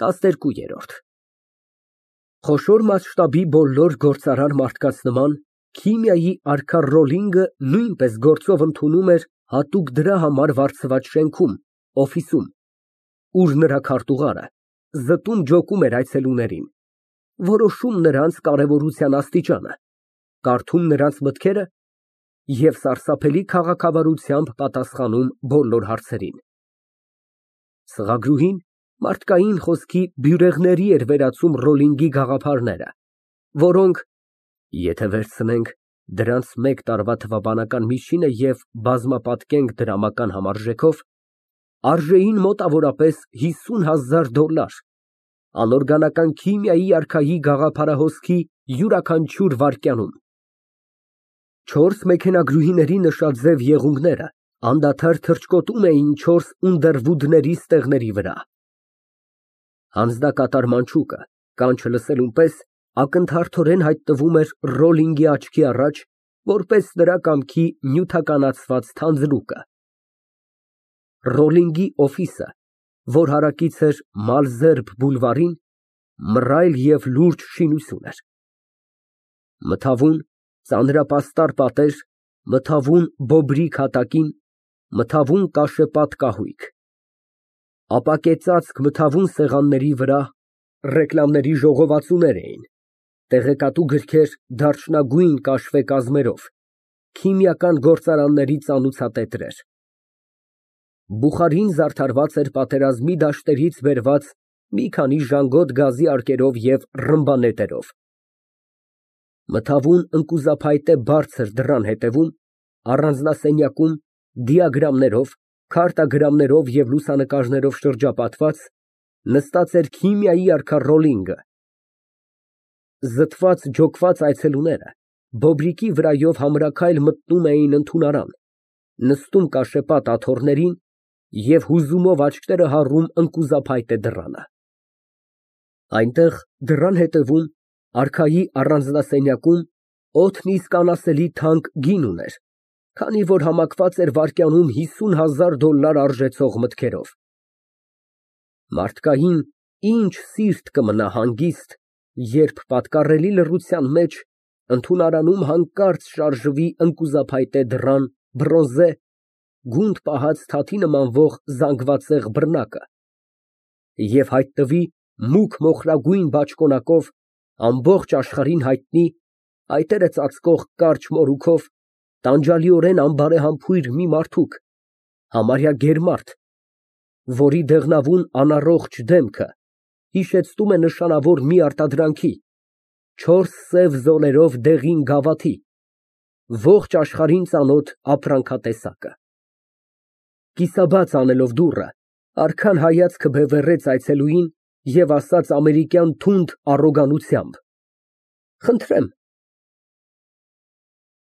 12։ Խոշոր մասշտաբի բոլոր գործարար մարդկանց նման քիմիայի արքա Ռոլլինգը նույնպես գործով ընդունում էր հատուկ դրա համար վարձված շենքում, օֆիսում, ուր նրա քարտուղարը զտում֊ջոկում էր այցելուներին, որոշում նրանց կարևորության աստիճանը, կարդում նրանց մտքերը և սարսափելի քաղաքավարությամբ պատասխանում բոլոր հարցերին։ Սղագրուհին մարդկային խոսքի բյուրեղների էր վերածում Ռոլլինգի գաղափարները, որոնք, եթե վերցնենք դրանց մեկ տարվա թվաբանական միջինը և բազմապատկենք դրամական համարժեքով, արժեին մոտավորապես $50,000, անօրգանական քիմիայի արքայի գաղափարահոսքի յուրաքանչյուր վայրկյանում։ 4 մեքենագրուհիների նշաձև եղունգները անդադար թռչկոտում էին 4 Ունդերվուդների ստեղների վրա։ Անձնակատար մանչուկը, կանչը լսելուն պես, ակնթարթորեն հայտնվում էր Ռոլլինգի աչքի առաջ, որպես նրա կամքի նյութականացված թանձրուկը։ Ռոլլինգի օֆիսը, որ հարակից էր Մալզերբ բուլվարին, մռայլ և լուրջ շինություն էր։ Մթավուն, ծանրապաստառ պատեր, մթավուն բոբրիկ հատակին, մթավուն կաշեպատ կահույք։ Ապակե ծածկ մթավուն սեղանների վրա ռեկլամների ժողովածուներ էին, տեղեկատու գրքեր դարչնագույն կաշվե կազմերով, քիմիական գործարանների ծանուցատետրեր։ Բուխարին զարդարված էր պատերազմի դաշտերից բերված մի քանի ժանգոտ գազի արկերով և ռմբանետերով։ Մթավուն ընկուզափայտե բարձր դռան հետևում, առանձնասենյակում, դիագրամներով, քարտագրամներով և լուսանկարներով շրջապատված, նստած էր քիմիայի արքա Ռոլլինգը։ Զտված֊ջոկված այցելուները բոբրիկի վրայով համրաքայլ մտնում էին ընդունարան, նստում կաշեպատ աթոռներին և հուզումով աչքերը հառում ընկուզափայտե դռանը։ Այնտեղ, դռան հետևում, արքայի առանձնասենյակում, օդն իսկ անասելի թանկ գին ուներ, քանի որ համակված էր վայրկյանում $50,000 արժեցող մտքերով։ Մարդկային ինչ սիրտ կմնա հանգիստ, երբ պատկառելի լռության մեջ ընդունարանում հանկարծ շարժվի ընկուզափայտե դռան բրոնզե, գունդ պահած թաթի նմանվող զանգվածեղ բռնակը և հայտնվի մուգ մոխրագույն բաճկոնակով ամբողջ աշխարհին հայտնի, փայտերը ծածկող կարճ մորուքով, տանջալիորեն անբարեհամբույր մի մարդուկ, համարյա գերմարդ, որի դեղնավուն անառողջ դեմքը հիշեցնում է նշանավոր մի արտադրանքի, 4 սև զոլերով դեղին գավաթի, ողջ աշխարհին ծանոթ ապրանքատեսակը։ Կիսաբաց անելով դուռը, արքան հայացքը բևեռեց այցելուին և ասաց ամերիկյան թունդ առոգանությամբ. «Խնդրեմ,